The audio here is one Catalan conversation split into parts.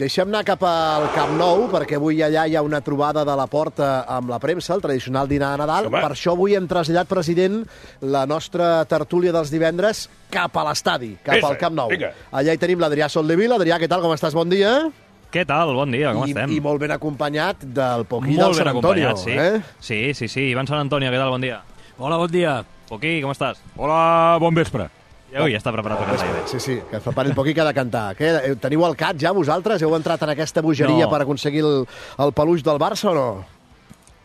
Deixem anar cap al Camp Nou, perquè avui allà hi ha una trobada de la Porta amb la premsa, el tradicional dinar de Nadal. Per això avui hem traslladat, president, la nostra tertúlia dels divendres cap a l'estadi, cap al Camp Nou. Allà hi tenim l'Adrià Soldevila. Adrià, què tal, com estàs? Bon dia. Què tal? Bon dia, com estem? I molt ben acompanyat del Poquí del Sant Antonio. Sí. Ivan Sant Antonio, què tal? Bon dia. Hola, bon dia. Poquí, com estàs? Hola, bon vespre. Ja està preparat per cantar. Sí, que es prepari el Poquí que ha de cantar. Teniu el cat ja, vosaltres? Heu entrat en aquesta bogeria per aconseguir el peluix del Barça o no?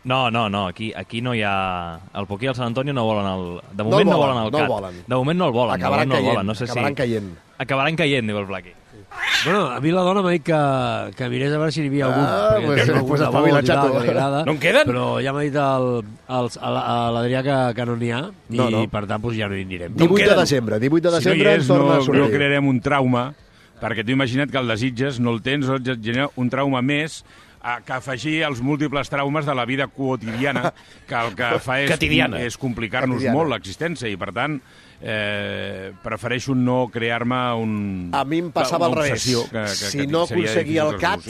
No, aquí no hi ha... El Poquí i el Sant Antonio no volen el... De moment no volen el cat. De moment no el volen. Acabaran caient. Acabaran caient, diu el Blaqui. Bueno, a mi la dona m'ha dit que mirés a veure si n'hi havia algun. Pues espavila, xato. No en queden? Però ja m'ha dit l'Adrià que no n'hi ha i per tant ja no hi anirem. 18 de desembre ens torna a sortir. No crearem un trauma, perquè tu imagina't que el desitges, no el tens, et genera un trauma més que afegir els múltiples traumes de la vida quotidiana, que el que fa és complicar-nos molt l'existència, i per tant prefereixo no crear-me a mi em passava al revés. Si no aconseguia el cat,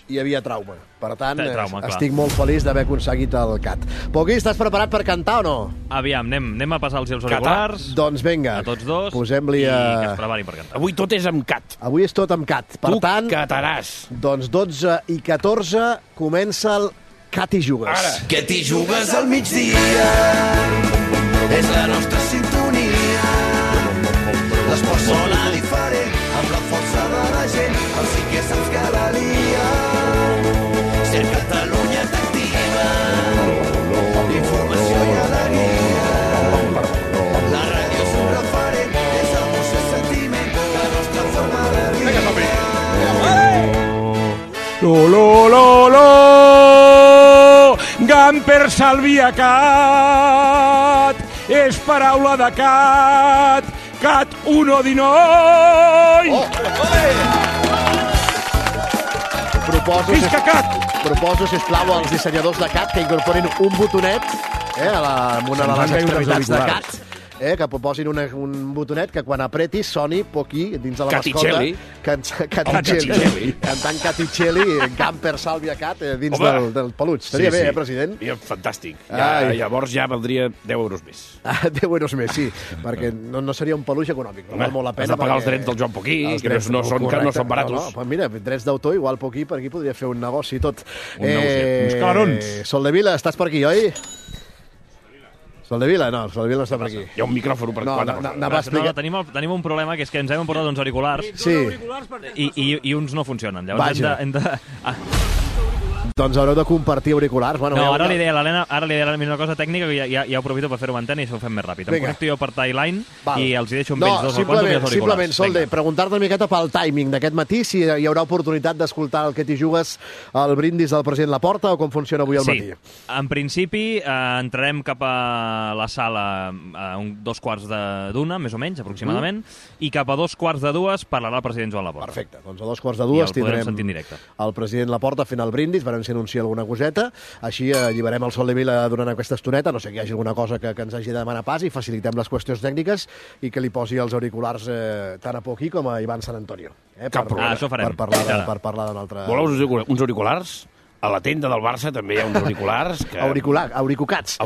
hi havia trauma. Per tant, estic molt feliç d'haver aconseguit el cat. Poquí, estàs preparat per cantar o no? Aviam, anem a passar els auriculars. Doncs vinga, a tots dos, posem-li i que es preparin per cantar. Avui tot és amb cat. Avui és tot amb cat. Per tant, cataràs. Doncs 12 i 14 comença el Cat i Jugues. Ara. Que t'hi jugues al migdia, és la nostra sintonia. L'esport sona diferent, amb la força de la gent, el sí que saps que la lia. Ser Catalunya t'activa, informació i alegria. La ràdio és un referent, és emoció i sentiment, la nostra forma de viure. Lo, Gamper Salvia Cat, és paraula de cat, Cat 1-19! Visca Cat! Proposo, sisplau, als dissenyadors de Cat que incorporin un botonet amb una de les extremitats de Cat, que proposin un botonet que quan apretis soni Poquí dins de la mascota. Caticelli. Cantant Caticelli, Gamper Salvia Cat dins del peluig. Estaria bé, president? Fantàstic. Llavors ja valdria 10 euros més. 10 euros més, sí, perquè no seria un peluix econòmic. No val molt la pena. Has de pagar els drets del Joan Poquí, que no són baratos. Mira, drets d'autor, igual Poquí per aquí podria fer un negoci i tot. Uns calarons. Soldevila, estàs per aquí, oi? Soldevila no està per aquí. Hi ha un micròfon per quatre. Tenim un problema, que és que ens hem portat uns auriculars i uns no funcionen. Llavors hem de... Doncs haureu de compartir auriculars. Ara li deia a l'Helena una cosa tècnica que ja ho aprofito per fer-ho amb antena i això ho fem més ràpid. Em connecto jo per Timeline i els hi deixo amb ells dos auriculars. Simplement, Solde, preguntar-te una miqueta pel timing d'aquest matí, si hi haurà oportunitat d'escoltar el que t'hi jugues al brindis del president Laporta o com funciona avui al matí. Sí, en principi entrarem cap a la sala a 2:15, més o menys, aproximadament, i cap a 2:45 parlarà el president Joan Laporta. Perfecte, doncs a 2:15 tindrem el president Laporta fent el brindis, veurem si anuncia alguna coseta, així alliberem el Soldevila durant aquesta estoneta, no sé que hi hagi alguna cosa que ens hagi de demanar pas i facilitem les qüestions tècniques i que li posi els auriculars tant a Poquí com a Ivan Sant Antonio. Això farem. Per parlar d'un altre... Voleu uns auriculars? A la tenda del Barça també hi ha uns auriculars. Auricucats.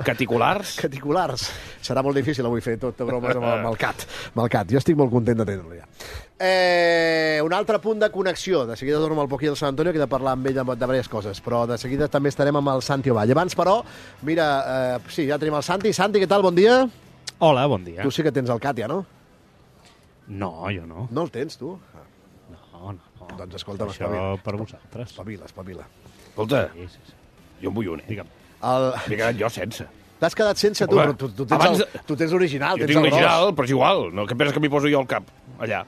Caticulars. Caticulars. Serà molt difícil avui fer tot de bromes amb el cat. Jo estic molt content d'atendre-lo ja. Un altre punt de connexió. De seguida torno amb el Poquí del Sant Antonio, que he de parlar amb ell de diverses coses, però de seguida també estarem amb el Santi Ovall. Abans, però, mira, ja tenim el Santi. Santi, què tal? Bon dia. Hola, bon dia. Tu sí que tens el cat ja, no? No, jo no. No el tens, tu? No. Doncs escolta'm, això per vosaltres. Espavila. Escolta, sí. Jo en vull un, Digue'm. M'he quedat jo sense. T'has quedat sense, tu? Però tu tens l'original, jo tinc l'original, però és igual. No, què penses que m'hi poso jo al cap, allà?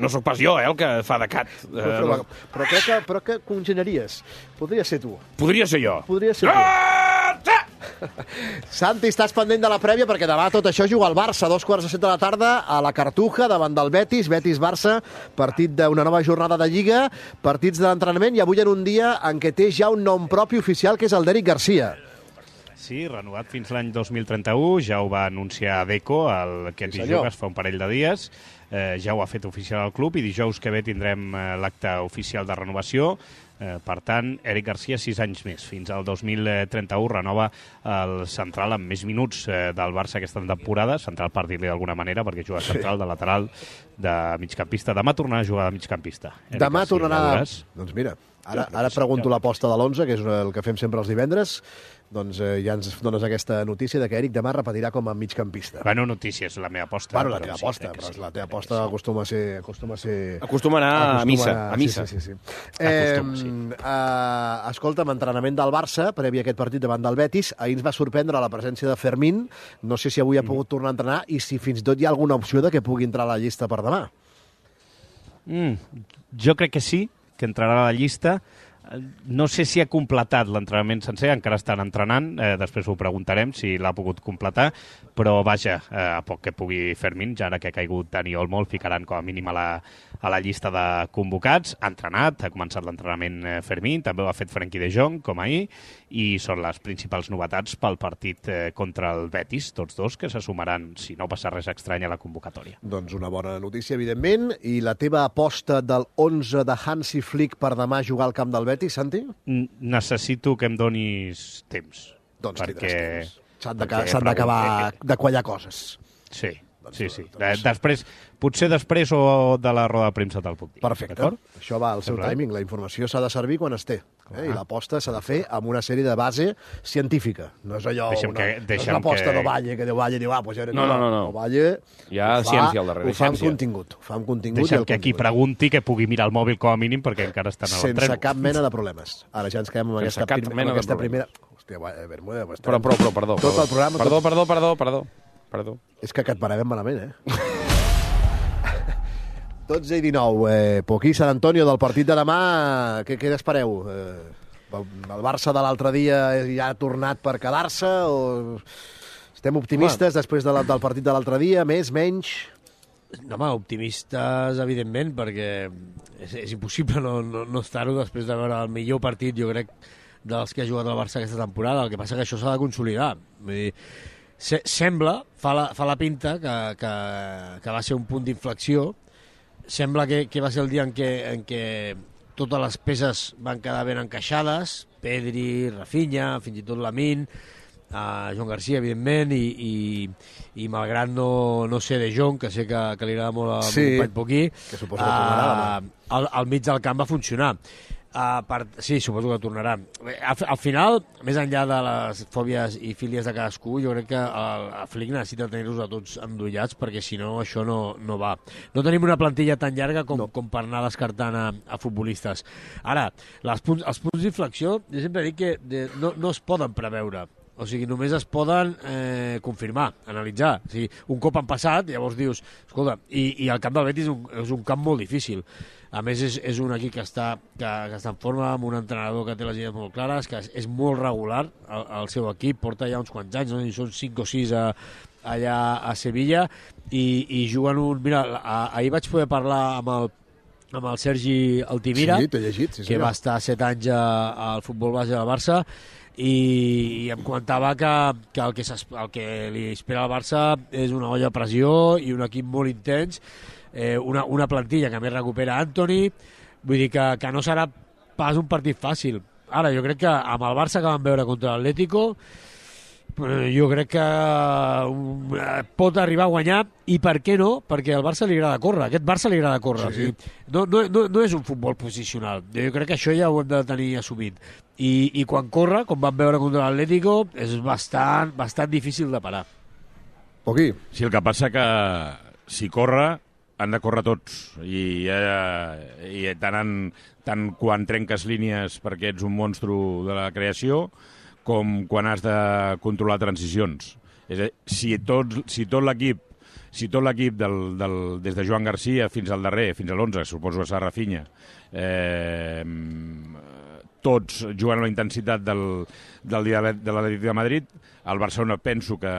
No sóc pas jo, el que fa de cat. Però que congeniaries. Podria ser tu. Podria ser jo. Santi, estàs pendent de la prèvia perquè demà tot això juga al Barça a 2:15 de la tarda a la Cartuja davant del Betis-Barça, partit d'una nova jornada de Lliga, partits de l'entrenament i avui en un dia en què té ja un nom propi oficial que és el d'Eric Garcia. Sí, renovat fins l'any 2031, ja ho va anunciar Deco, el que ens hi jugues fa un parell de dies. ja ho ha fet oficial el club i dijous que ve tindrem l'acte oficial de renovació. Per tant, Eric Garcia 6 anys més. Fins al 2031 renova el central amb més minuts del Barça aquesta temporada. Central, per dir-li d'alguna manera, perquè juga central, de lateral, de migcampista. Demà tornarà a jugar de migcampista. Demà tornarà... Doncs mira, ara pregunto l'aposta de l'11, que és el que fem sempre els divendres. Doncs ja ens dones aquesta notícia de que Eric demà repetirà com a migcampista. Bueno, notícia, és la meva aposta. Bueno, la teva aposta, però la teva aposta acostuma a ser... Acostuma a anar a missa. Sí. Escolta'm, entrenament del Barça, previ a aquest partit davant del Betis, ahir ens va sorprendre la presència de Fermín, no sé si avui ha pogut tornar a entrenar i si fins i tot hi ha alguna opció de que pugui entrar a la llista per demà. Jo crec que sí, que entrarà a la llista. No sé si ha completat l'entrenament sencer, encara estan entrenant, després ho preguntarem si l'ha pogut completar, però vaja, a poc que pugui Fermín, ja ara que ha caigut Dani Olmo, el ficaran com a mínim a la llista de convocats. Ha entrenat, ha començat l'entrenament Fermín, també ho ha fet Frenkie de Jong, com ahir, i són les principals novetats pel partit contra el Betis, tots dos, que se sumaran, si no passa res estrany, a la convocatòria. Doncs una bona notícia, evidentment. I la teva aposta del 11 de Hansi Flick per demà jugar al camp del Betis, Santi? Necessito que em donis temps. Doncs tindràs temps. S'han d'acabar de quallar coses. Sí. Potser després o de la roda de premsa te'l puc dir. Perfecte. Això va al seu timing. La informació s'ha de servir quan es té. I l'aposta s'ha de fer amb una sèrie de base científica. No és allò, no és l'aposta d'Ovalle, que d'Ovalle diu, pues ja no. Ovalle hi ha ciència al darrere. Ho fa amb contingut. Deixa'm que qui pregunti que pugui mirar el mòbil com a mínim, perquè encara estan a l'entreno. Sense cap mena de problemes. Ara ja ens quedem amb aquesta primera... Hòstia, Bermuda... Però, perdó. Tot el programa... Perdó. És que et paràvem malament, 12:19. Poquí, Sant Antonio, del partit de demà, què n'espereu? El Barça de l'altre dia ja ha tornat per quedar-se o estem optimistes després del partit de l'altre dia? Més, menys? Home, optimistes, evidentment, perquè és impossible no estar-ho després de veure el millor partit, jo crec, dels que ha jugat el Barça aquesta temporada. El que passa que això s'ha de consolidar. Vull dir, sembla, fa la pinta que va ser un punt d'inflexió. Sembla que va ser el dia en què totes les peces van quedar ben encaixades, Pedri, Rafinha, fins i tot Lamine, Joan Garcia, evidentment, i malgrat no ser de Jong, que sé que li agrada molt al company Poquí, que suposo que tornarà, al mig del camp va funcionar. Sí, suposo que tornarà. Al final, més enllà de les fòbies i fílies de cadascú, jo crec que el Flick necessita tenir-los a tots endollats, perquè si no, això no va. No tenim una plantilla tan llarga com per anar descartant a futbolistes. Ara, els punts d'inflexió, jo sempre dic que no es poden preveure. O sigui, només es poden confirmar, analitzar. O sigui, un cop han passat, llavors dius, escolta, i el camp del Betis és un camp molt difícil. A més, és un equip que està en forma, amb un entrenador que té les idees molt clares, que és molt regular, el seu equip, porta ja uns quants anys, no? I són 5 o 6 allà a Sevilla, i juguen Mira, ahir vaig poder parlar amb el Sergi Altimira, sí, t'he llegit, que va estar 7 anys al futbol base del Barça, i em comentava que el que li espera al Barça és una olla a pressió i un equip molt intens, una plantilla que més recupera Antoni, vull dir que no serà pas un partit fàcil. Ara, jo crec que amb el Barça que vam veure contra l'Atlético, jo crec que pot arribar a guanyar, i per què no? Perquè al Barça li agrada córrer, aquest Barça li agrada córrer. Sí. No és un futbol posicional, jo crec que això ja ho hem de tenir assumit, i quan corre, com vam veure contra l'Atlético, és bastant difícil de parar. Poquí. Sí, el que passa que si corre han de córrer tots, i tant quan trenques línies perquè ets un monstru de la creació, com quan has de controlar transicions. És a dir, si tot l'equip des de Joan Garcia fins al darrer, fins a l'11, suposo que serà Rafinha, tots jugant a la intensitat del dia de l'Atlètic de Madrid, el Barcelona penso que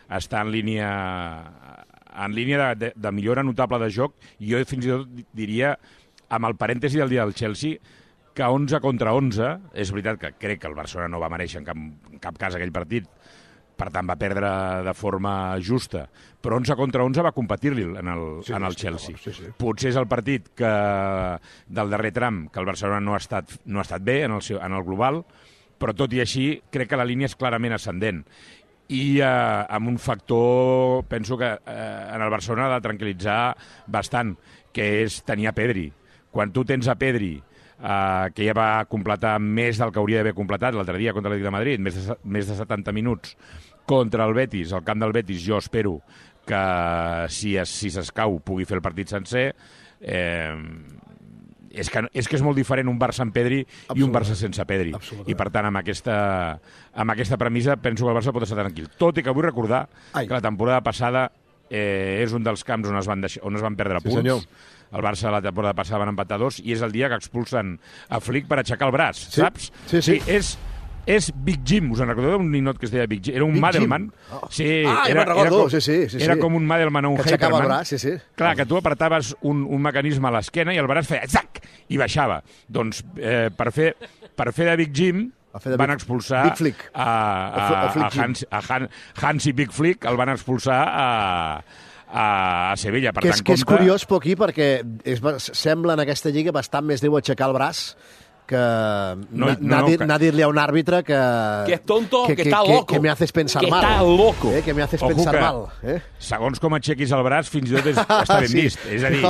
està en línia de millora notable de joc, i jo fins i tot diria, amb el parèntesi del dia del Chelsea, que 11 contra 11, és veritat que crec que el Barcelona no va mereixer en cap cas aquell partit, per tant va perdre de forma justa, però 11 contra 11 va competir-li en el Chelsea. Potser és el partit del darrer tram que el Barcelona no ha estat bé en el global, però tot i així crec que la línia és clarament ascendent. I amb un factor, penso que en el Barcelona ha de tranquil·litzar bastant, que és tenir a Pedri. Quan tu tens a Pedri, que ja va completar més del que hauria d'haver completat l'altre dia contra l'Atlètic de Madrid, més de 70 minuts contra el Betis, al camp del Betis, jo espero que si s'escau pugui fer el partit sencer. És que és molt diferent un Barça amb Pedri i un Barça sense Pedri. I per tant, amb aquesta premissa penso que el Barça pot estar tranquil. Tot i que vull recordar que la temporada passada és un dels camps on es van perdre punts. Senyor. El Barça la temporada passada van empatar 2 i és el dia que expulsen a Flick per aixecar el braç, saps? Sí. És Big Jim, us en recordeu d'un ninot que es deia Big Jim? Era un Madelman. Sí, era com un Madelman o un Hyperman. Que aixecava el braç, sí. Clar, que tu apretaves un mecanisme a l'esquena i el braç feia zac i baixava. Doncs per fer de Big Jim van expulsar a Hansi Big Flick, el van expulsar a Sevilla. Per tant, que és curiós, Poquí, perquè sembla en aquesta lliga bastant més deu aixecar el braç que anar a dir-li a un àrbitre que es tonto, que está loco. Que me haces pensar mal. Está loco. Que me haces pensar mal. Segons com aixequis el braç, fins i tot està ben vist. És a dir,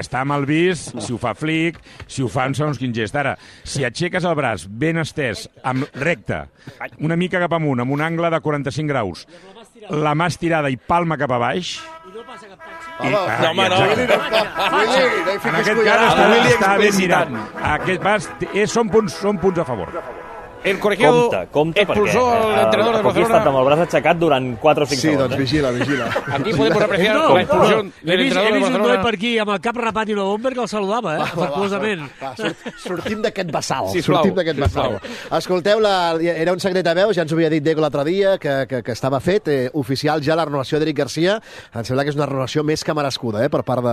està mal vist si ho fa Flick, si ho fa en segons quin gest. Ara, si aixeques el braç ben estès, recte, una mica cap amunt, amb un angle de 45 graus, la mà estirada i palma cap a baix... No passa cap taxi? No, home, no. En aquest cas està ben mirat. Són punts a favor. El colegiado expulsó al entrenador de Barcelona. Poquí ha estat amb el braç aixecat durant 4 o 5 segons. Sí, doncs vigila. Aquí podemos apreciar la expulsión del entrenador de He vist un noi Barcelona. per aquí amb el cap rapat i una bomber que el saludava, afectuosament. Sortim d'aquest bassal. Sisplau. Escolteu, era un secret a veus, ja ens ho havia dit Diego l'altre dia, que estava fet, oficial ja la renovació d'Eric Garcia. Em sembla que és una renovació més que merescuda, per part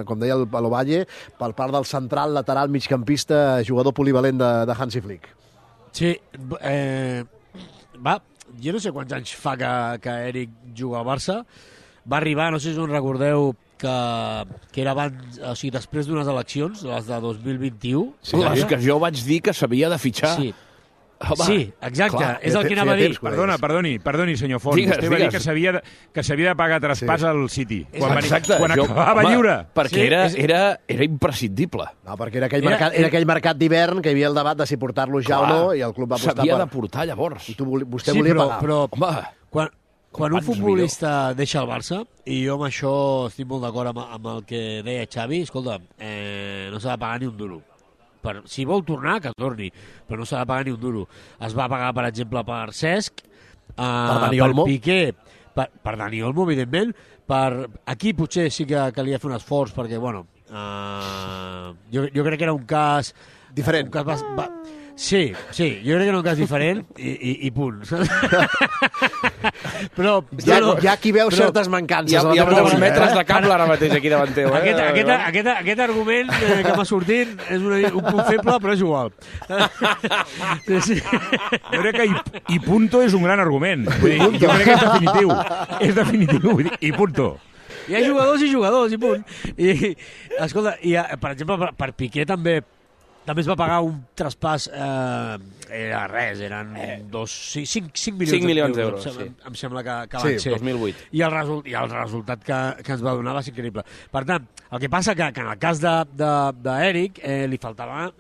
com deia el Valle, per part del central, lateral, migcampista, jugador polivalent de Hansi Flick. Sí, jo no sé quants anys fa que Eric juga al Barça. Va arribar, no sé si us recordeu, que era abans, o sigui, després d'unes eleccions, les de 2021. Les que jo vaig dir que s'havia de fitxar. Sí, exacte, és el que anava a dir. Perdoni, senyor Font. Vostè va dir que s'havia de pagar traspàs al City. Quan acabava lliure. Perquè era imprescindible. No, perquè era aquell mercat d'hivern que hi havia el debat de si portar-lo ja o no, i el club va apostar s'havia de portar llavors. I vostè volia pagar. Però quan un futbolista deixa el Barça, i jo amb això estic molt d'acord amb el que deia Xavi, escolta, no s'ha de pagar ni un duro. Si vol tornar, que torni, però no s'ha de pagar ni un duro. Es va pagar, per exemple, per Cesc, per Piqué, per Dani Olmo, evidentment, aquí potser sí que calia fer un esforç, perquè, bueno, jo crec que era un cas... Diferent. Sí, jo crec que era un cas diferent i punt. Però hi ha qui veu certes mancances. Hi ha 2 metres de cable ara mateix aquí davant teu. Aquest argument que m'ha sortit és un punt feble, però és igual. Jo crec que i punto és un gran argument. Jo crec que és definitiu. És definitiu, i punto. Hi ha jugadors i punt. I, escolta, per exemple, per Piqué també es va pagar un traspàs, era res, eren 5 milions d'euros. Em sembla que van ser. 2008. I el resultat que ens va donar va ser increïble. Per tant, el que passa que en el cas d'Eric li faltava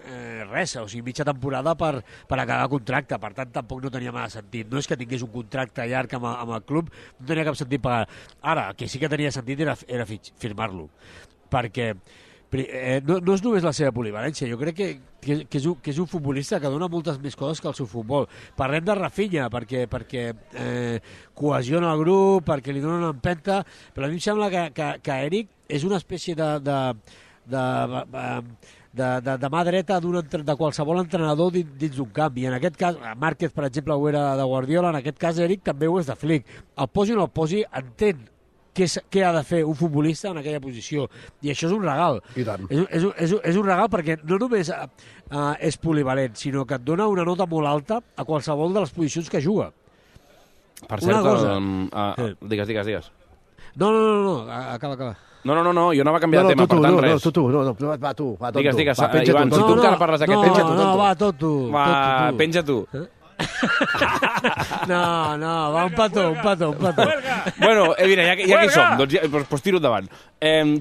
res, o sigui, mitja temporada per acabar contracte. Per tant, tampoc no tenia massa sentit. No és que tingués un contracte llarg amb el club, no tenia cap sentit pagar. Ara, el que sí que tenia sentit era firmar-lo. Perquè no és només la seva polivalència, jo crec que és un futbolista que dona moltes més coses que el seu futbol. Parlem de Rafinha perquè cohesiona el grup, perquè li dona una empenta, però a mi em sembla que Eric és una espècie de mà dreta de qualsevol entrenador dins d'un camp, i en aquest cas Márquez, per exemple, ho era de Guardiola, en aquest cas Eric també ho és de Flick. El posi o no el posi, entén què ha de fer un futbolista en aquella posició, i això és un regal. I tant. És un regal perquè no només és polivalent, sinó que et dona una nota molt alta a qualsevol de les posicions que juga. Per Una cert, cosa. digues. No, acaba. No, jo anava a canviar de tema, per tant, res. Va tu. Digues, Va, Ivan, si tu encara parles d'aquest tema... No, va, tot tu. Va, penja tu. No, va, un petó. Bueno, mira, ja que hi som, doncs tiro endavant.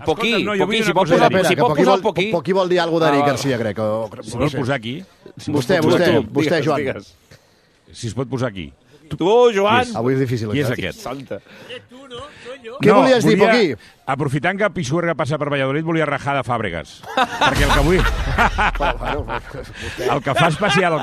Poquí, si pot posar el Poquí... Poquí vol dir alguna d'Eric Garcia, crec. Si vols posar aquí... Vostè, Joan. Si es pot posar aquí. Tu, Joan! Avui és difícil. Qui és aquest? Santa. Què volies dir, Poquí? Aprofitant que Pisuerga passa per Valladolid, volia rajar de Fàbregas. Perquè el que vull... El que fa especial el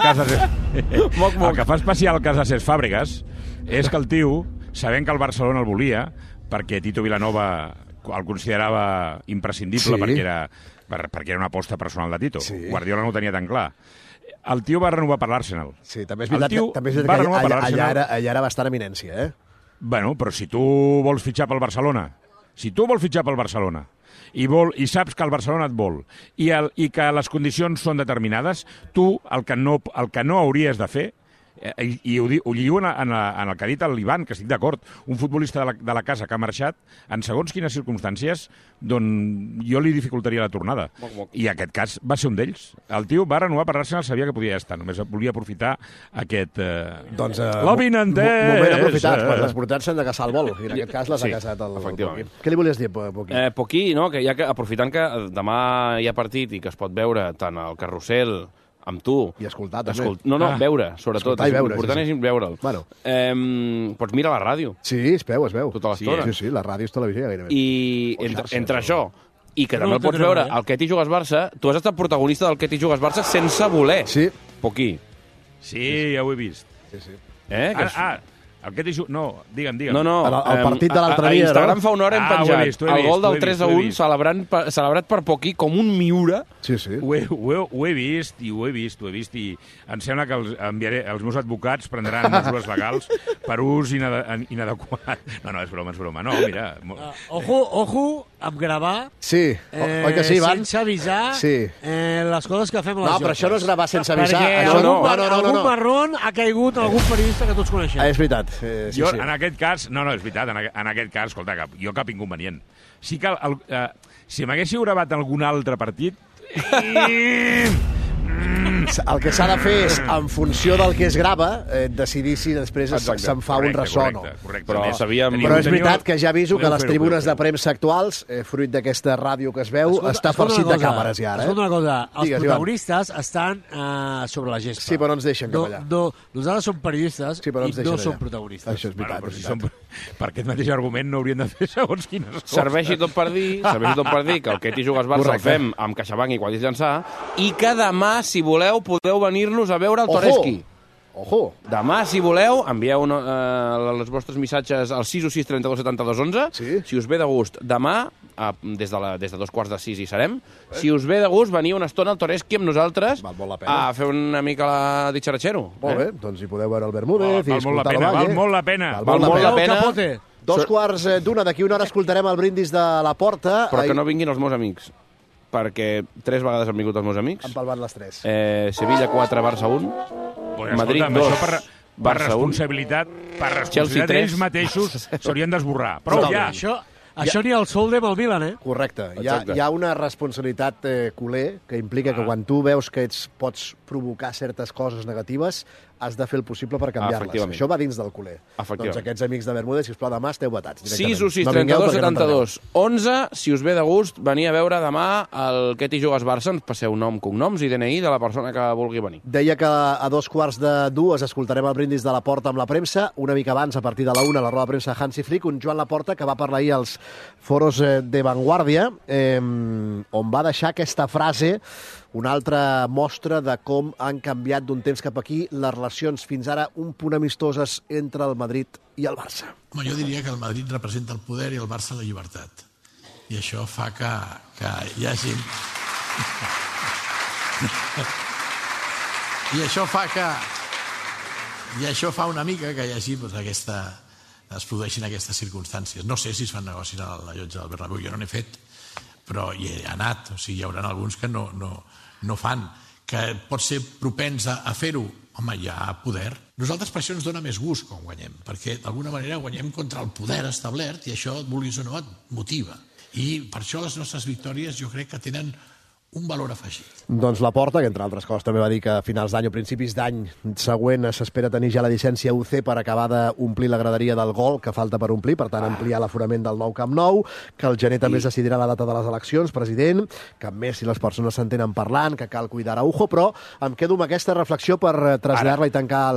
cas de Cesc Fàbregas és que el tio, sabent que el Barcelona el volia, perquè Tito Vilanova el considerava imprescindible perquè era una aposta personal de Tito. Guardiola no ho tenia tan clar. El tio va renovar per l'Arsenal. Sí, també és veritat que allà era bastant eminència, eh? Bueno, però si tu vols fitxar pel Barcelona, i saps que el Barcelona et vol, i que les condicions són determinades, tu el que no hauries de fer, i ho lligo en el que ha dit l'Ivan, que estic d'acord, un futbolista de la casa que ha marxat, en segons quines circumstàncies, doncs jo li dificultaria la tornada. I aquest cas va ser un d'ells. El tio va renovar per l'Arsenal, sabia que podia estar, només volia aprofitar aquest... Doncs... l'avinentès! Moment aprofitat, quan les portats s'han de caçar el vol, i en aquest cas les ha caçat el Poquí. Què li volies dir, Poquí? Poquí, no? Que aprofitant que demà hi ha partit i que es pot veure tant al Carrusel amb tu. I escoltar, també. Veure, sobretot. Escoltar i veure. L'important és veure'l. Bueno. Pots mirar la ràdio. Sí, es veu. Tota l'estona. Sí, la ràdio és televisió gairebé. I entre això i que també el pots veure al Què t'hi jugues Barça, tu has estat protagonista del Què t'hi jugues Barça sense voler. Sí. Poquí. Sí, ja ho he vist. Sí. El que t'hi jugues... No, digue'm. No. El partit de l'altre dia, no? A Instagram fa una hora hem penjat el gol del 3-1 celebrat per Poquí com un miura. Sí. Ho he vist, i em sembla que els meus advocats prendran mesures legals per ús inadequat. No, és broma. No, mira... Ojo amb gravar. Sí, oi que sí, Ivan? Sense avisar les coses que fem a les jotes. No, però això no és gravar sense avisar. Perquè algun marrón ha caigut algun periodista que tots coneixem. És veritat. Jo, en aquest cas... No, és veritat. En aquest cas, escolta, jo cap inconvenient. Sí que si m'haguéssiu gravat algun altre partit... El que s'ha de fer és, en funció del que es grava, decidir si després se'n fa un ressò o no. Però és veritat que ja aviso que les tribunes de premsa actuals, fruit d'aquesta ràdio que es veu, està farcit de càmeres ja ara. Escolta una cosa, els protagonistes estan sobre la gespa. Sí, però no ens deixen cap allà. Nosaltres som periodistes i no som protagonistes. Això és veritat. Per aquest mateix argument no haurien de fer segons quines coses. Serveixi tot per dir que el Què t'hi jugues Barça el fem amb CaixaBank i Quadris Llançà, i que demà, si voleu, podeu venir-nos a veure el Toreski. Ojo! Demà, si voleu, envieu els vostres missatges al 616 32 72 11. Si us ve de gust, demà, des de 5:45 hi serem. Si us ve de gust, veniu una estona al Toreski amb nosaltres a fer una mica la ditxaratxero. Molt bé, doncs hi podeu veure el Bermúdez i escoltar el Valle. Val molt la pena. Val molt la pena. 2:15, d'aquí una hora escoltarem el brindis de la Porta. Però que no vinguin els meus amics, perquè 3 vegades han vingut els meus amics. Han palmat les 3. Sevilla 4, Barça 1. Madrid 2, per responsabilitat d'ells mateixos s'haurien d'esborrar. Prou ja! Això ni el Solde amb el Milan, eh? Correcte. Hi ha una responsabilitat culer que implica que quan tu veus que pots provocar certes coses negatives, has de fer el possible per canviar-les. Això va dins del culer. Doncs aquests amics de Bermúdez, sisplau, demà esteu vetats. 616 32 72 11. Si us ve de gust, venir a veure demà el Què t'hi jugues Barça. Ens passeu nom, cognoms i DNI de la persona que vulgui venir. Deia que a 2:15 escoltarem el brindis de la Porta amb la premsa. Una mica abans, a partir de la 1, la roda de premsa de Hansi Flick, un Joan Laporta que va parlar ahir als foros de Vanguardia, on va deixar aquesta frase, una altra mostra de com han canviat d'un temps cap aquí les relacions fins ara un punt amistoses entre el Madrid i el Barça. Home, jo diria que el Madrid representa el poder i el Barça la llibertat. I això fa que hi hagi... I això fa una mica que hi hagi es produeixin aquestes circumstàncies. No sé si es fan negocis a la llotja del Bernabéu, jo no n'he fet, però hi he anat, o sigui, hi haurà alguns que no fan. que pot ser propens a fer-ho, home, hi ha poder. Nosaltres per això ens dona més gust quan guanyem, perquè d'alguna manera guanyem contra el poder establert i això, vulguis o no, et motiva. I per això les nostres victòries jo crec que tenen un valor afegit. Doncs Laporta, que entre altres coses també va dir que a finals d'any o principis d'any següent s'espera tenir ja la llicència UC per acabar d'omplir la graderia del gol que falta per omplir, per tant ampliar l'aforament del nou Camp Nou, que el gener també es decidirà la data de les eleccions, president, que més si les persones s'entenen parlant, que cal cuidar Araujo, però em quedo amb aquesta reflexió per traslladar-la i tancar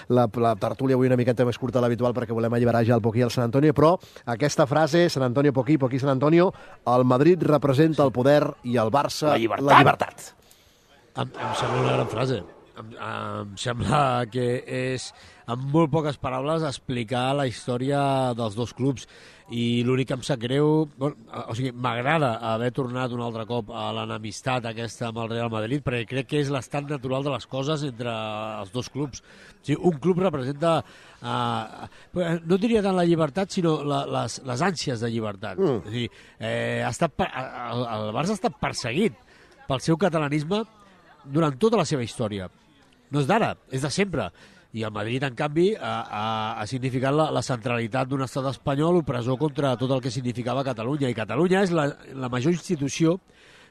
la tertúlia avui una miqueta més curta de l'habitual perquè volem alliberar ja el Poquí i el Sant Antonio, però aquesta frase, Sant Antonio Poquí, Poquí Sant Antonio, el Madrid representa el poder i el Barça la llibertat. Em sembla una gran frase. Em sembla que és, en molt poques paraules, explicar la història dels dos clubs. I l'únic que em sap greu... o sigui, m'agrada haver tornat un altre cop a l'enemistat aquesta amb el Real Madrid, perquè crec que és l'estat natural de les coses entre els dos clubs. O sigui, un club representa... no diria tant la llibertat, sinó les ànsies de llibertat. O sigui, el Barça ha estat perseguit pel seu catalanisme durant tota la seva història. No és d'ara, és de sempre. I el Madrid, en canvi, ha significat la centralitat d'un estat espanyol opressor contra tot el que significava Catalunya. I Catalunya és la major institució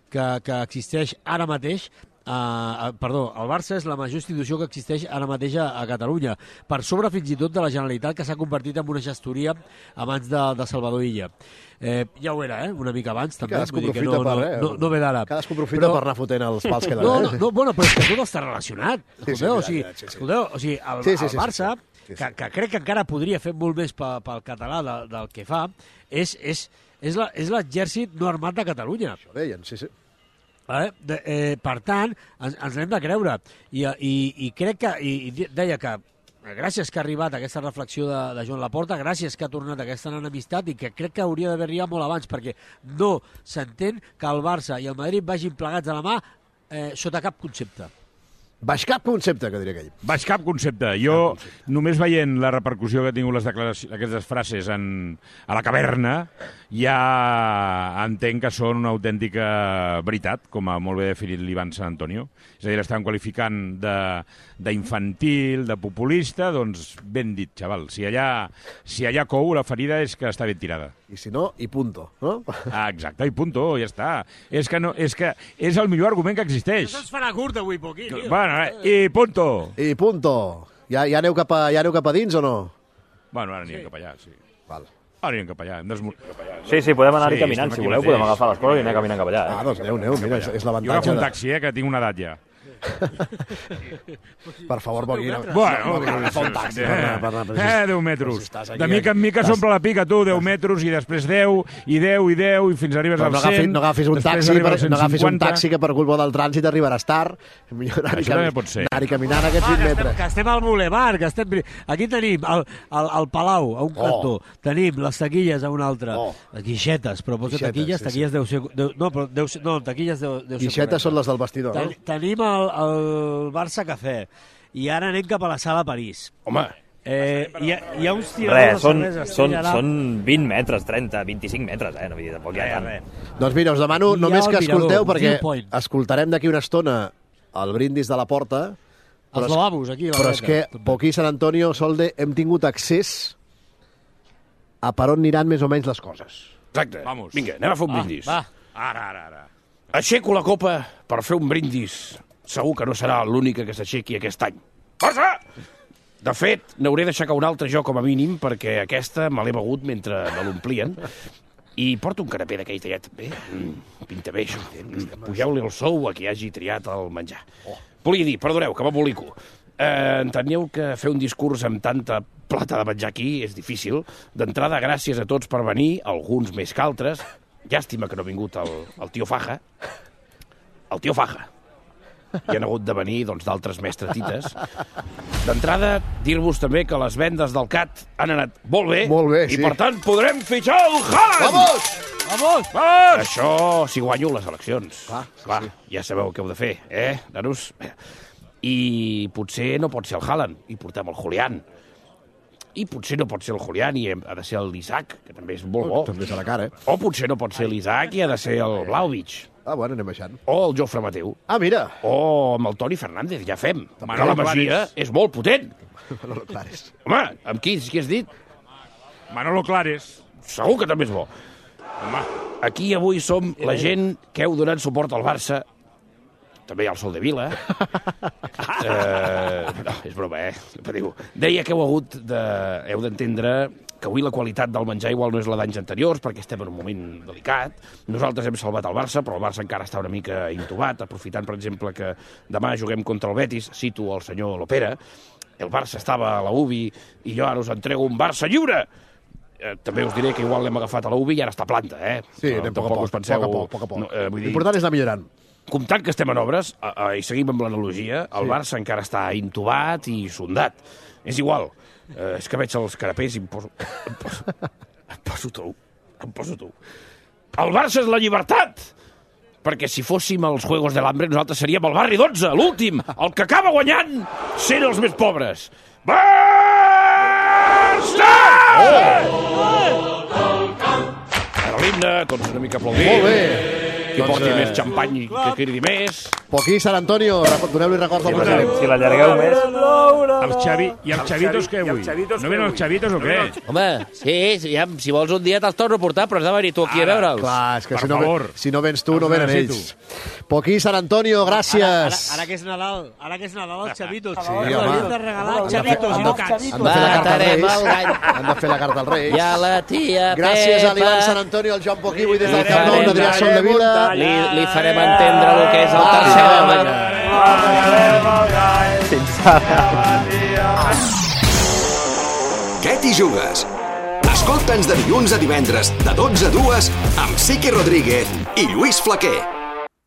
que existeix ara mateix. El Barça és la major institució que existeix ara mateix a Catalunya, per sobre fins i tot de la Generalitat, que s'ha convertit en una gestoria abans de Salvador Illa. Ja ho era, una mica abans també. Cadascú aprofita no ve d'ara. Cadascú aprofita per anar fotent els pals que donen. Bueno, però és que tot està relacionat. Escolteu, o sigui, el Barça, que crec que encara podria fer molt més pel català del que fa, és l'exèrcit no armat de Catalunya. Això deien, sí. Per tant, ens l'hem de creure. I crec que... I deia que gràcies que ha arribat aquesta reflexió de Joan Laporta, gràcies que ha tornat aquesta enemistat i que crec que hauria d'haver arribat molt abans, perquè no s'entén que el Barça i el Madrid vagin plegats a la mà sota cap concepte. Baix cap concepte, que diria aquell. Baix cap concepte. Jo, només veient la repercussió que ha tingut aquestes frases a la caverna, ja entenc que són una autèntica veritat, com ha molt bé definit l'Ivan Sant Antonio. És a dir, l'estan qualificant d'infantil, de populista, doncs ben dit, xaval. Si allà cou, la ferida és que està ben tirada. I si no, i punto, no? Exacte, i punto, ja està. És que és el millor argument que existeix. Això es farà curt avui, Poquí. Bueno, i punto. I punto. Ja aneu cap a dins o no? Bueno, ara anirem cap allà, sí. Val. Ara anirem cap allà. Sí, podem anar-hi caminant, si voleu, podem agafar les coses i anar caminant cap allà. Doncs aneu, mira, és l'avantatge. Jo agafo un taxi, que tinc una edat ja. Per favor, Boguina. Bueno, agafa un taxi. 10 metres. De mica en mica s'omple la pica, tu, 10 metres, i després 10, i 10, i fins arribes al 100. No agafis un taxi que per culpa del trànsit arribaràs tard. Això també pot ser. Anar-hi caminant aquests 20 metres. Que estem al Boulevard, aquí tenim el Palau a un cantó, tenim les taquilles a un altre, les guixetes, però posa taquilles deu ser... No, taquilles deu ser... Guixetes són les del vestidor, no? Tenim el Barça Cafè i ara anem cap a la sala París. Home, hi ha uns tiradors de cervesa. Són 20 metres, 30, 25 metres, no vull dir, tampoc hi ha tant. Doncs mira, us demano només que escolteu, perquè escoltarem d'aquí una estona el brindis de la porta. Els lavabos, aquí. Però és que Poquí Sant Antonio, Solde, hem tingut accés a per on aniran més o menys les coses. Exacte. Vinga, anem a fer un brindis. Va. Ara. Aixeco la copa per fer un brindis. Segur que no serà l'única que s'aixequi aquest any. Força! De fet, n'hauré d'aixecar un altre jo com a mínim, perquè aquesta me l'he begut mentre me l'omplien. I porto un canapé d'aquell tallat també. Pinta bé, això. Pugeu-li el sou a qui hagi triat el menjar. Volia dir, perdoneu, que m'embolico. Enteneu que fer un discurs amb tanta plata de menjar aquí és difícil. D'entrada, gràcies a tots per venir, alguns més que altres. Llàstima que no ha vingut el tio Faja. El tio Faja. Hi han hagut de venir d'altres mestretites. D'entrada, dir-vos també que les vendes del CAT han anat molt bé, sí. I per tant podrem fitxar el Haaland! Vamos! Això si guanyo les eleccions. Clar, ja sabeu què heu de fer, nanos? I potser no pot ser el Haaland, i portem el Julián. I potser no pot ser el Julián i ha de ser l'Isaac, que també és molt bo. També serà cara, O potser no pot ser l'Isaac i ha de ser el Vlahovic. bueno, anem baixant. O el Jofre Mateu. Mira. O amb el Toni Fernández, ja fem. Que la Masia és molt potent. Manolo Clares. Home, amb qui has dit? Manolo Clares. Segur que també és bo. Home, aquí avui som la gent que heu donat suport al Barça. També hi ha el Sol de Vila. No, és broma, Deia que heu d'entendre que avui la qualitat del menjar igual no és la d'anys anteriors, perquè estem en un moment delicat. Nosaltres hem salvat el Barça, però el Barça encara està una mica intubat, aprofitant, per exemple, que demà juguem contra el Betis, cito el senyor Lopera, el Barça estava a la UBI i jo ara us entrego un Barça lliure. També us diré que igual l'hem agafat a la UBI i ara està a planta, Sí, anem poc a poc. L'important és anar millorant. Comptant que estem en obres, i seguim amb l'analogia, el Barça encara està intubat i sondat. És igual. És que veig els carapers i em poso tou. El Barça és la llibertat! Perquè si fóssim els Juegos de l'Hambre, nosaltres seríem el barri 12, l'últim, el que acaba guanyant sent els més pobres. Barça! Ara l'himne, tots una mica aplaudint. Molt bé. Qui porti més xampany i que cridi més. Poquí, Sant Antonio, doneu-li records al president. Si l'allargueu més... I els xavitos què avui? No venen els xavitos o què? Home, sí, si vols un dia te'ls torno a portar, però has de venir tu aquí a veure'ls. Clar, és que si no vens tu, no venen ells. Poquí, Sant Antonio, gràcies. Ara que és Nadal, els xavitos. Sí, home. Hem de regalar xavitos i no cats. Han de fer la carta als Reis. I a la tia Pepa. Gràcies a l'Ivan Sant Antonio, al Joan Poquí, avui des del Camp Nou, l'Adrià Sol de Vila. Li farem entendre el que és el tercer element. Què t'hi jugues? Escolta'ns de dilluns a divendres, de 12 a 2, amb Sique Rodríguez i Lluís Flaquer.